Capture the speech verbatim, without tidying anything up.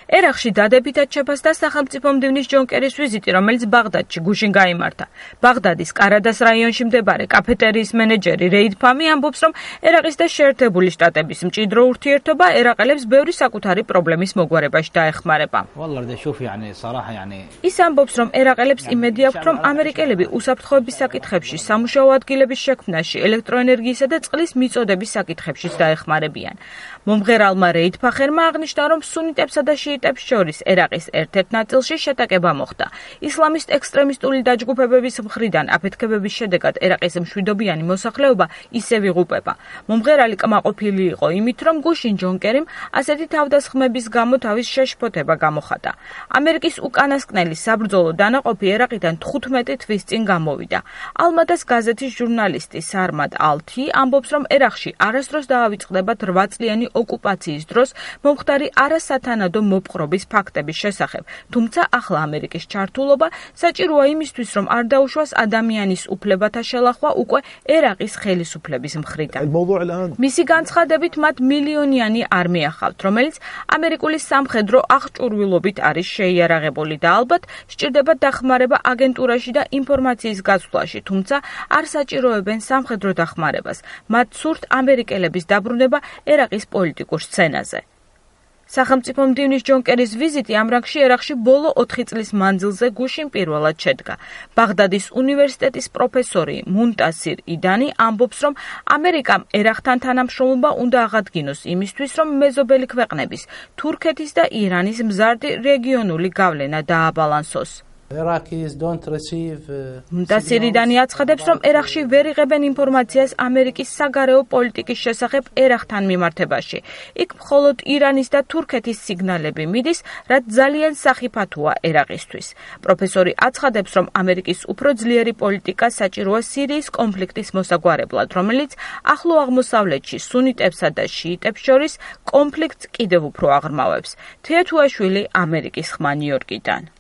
ერაყში დადებითად შეფასდა სახელმწიფო მდივნის ჯონ კერის ვიზიტი, რომელიც ბაღდადში გუშინ გაიმართა. ბაღდადის კარადას რაიონში მდებარე კაფეტერიის მენეჯერი რეიდ ფამი ამბობს, რომ ერაყის და შეერთებული შტატების მჭიდრო ურთიერთობა ერაყელებს ბევრი საკუთარი პრობლემის მოგვარებაში დაეხმარება. ის ამბობს, რომ ერაყელებს იმედი აქვთ, რომ ამერიკელები უსაფრთხოების საკითხებში, სამუშაო ადგილების შექმნაში, ელექტროენერგიისა და წყლის მიწოდების საკითხებშიც დაეხმარებიან. მომღერალმა რეიდ ფახერმა აღნიშნა, რომ სუნიტებსა და შიიტებს შორის ერაყის ერთ-ერთ ნაწილში შეტაკება მოხდა. ისლამისტ ექსტრემისტული დაჯგუფებების მხრიდან აფეთქებების შედეგად ერაყის მშვიდობიანი მოსახლეობა ისევ იღუპება. მომღერალი კმაყოფილი იყო იმით, რომ გუშინ ჯონ კერიმ ასეთი თავდასხმების გამო თავის შეშფოთება გამოხატა. ამერიკის უკანასკნელი საბრძოლო დანაყოფი ერაყიდან თხუთმეტი თვის წინ გამოვიდა. ალმადას გაზეთის ჟურნალისტი სარმად ალთი ამბობს, რომ ერაყში არასდროს დაავიწყდება რვა წლიანი ოკუპაციის დროს მომხდარი არასათანადო მოპყრობის ფაქტების შესახებ, თუმცა ახლა ამერიკის ჩართულობა საჭიროა იმისთვის, რომ არ დაუშვას ადამიანის უფლებათა შელახვა უკვე ერაყის ხელისუფლების მხრიდან. მისი განცხადებით, მათ მილიონიანი არმია ჰყავთ, რომელიც ამერიკული სამხედრო აღჭურვილობით არის შეიარაღებული და ალბათ სჭირდება დახმარება აგენტურაში და ინფორმაციის გაცვლაში, თუმცა არ საჭიროებენ სამხედრო დახმარებას. მათ სურთ ამერიკელების დაბრუნება ერაყის პოლიტიკურ სცენაზე. სახელმწიფო მდივნის ჯონ კერის ვიზიტი ამ რანგში ერაყში ბოლო ოთხი წლის მანძილზე გუშინ პირველად შედგა. ბაღდადის უნივერსიტეტის პროფესორი მუნტასირ იდანი ამბობს, რომ ამერიკამ ერაყთან თანამშრომლობა უნდა აღადგინოს იმისთვის, რომ მეზობელი ქვეყნების, თურქეთის და ირანის მზარდი რეგიონული გავლენა დააბალანსოს. მუნტასირიდანი აცხადებს, რომ ერაყში ვერ იღებენ ინფორმაციას ამერიკის საგარეო პოლიტიკის შესახებ ერაყთან მიმართებაში. იქ მხოლოდ ირანის და თურქეთის სიგნალები მიდის, რაც ძალიან სახიფათოა ერაყისთვის. პროფესორი აცხადებს, რომ ამერიკის უფრო ძლიერი პოლიტიკა საჭიროა სირიის კონფლიქტის მოსაგვარებლად, რომელიც ახლო აღმოსავლეთში სუნიტებსა და შიიტებს შორის კონფლიქტს კიდევ უფრო აღრმავებს. თეა თუაშვილი, ამერიკის ხმა, ნიუ-იორკიდან.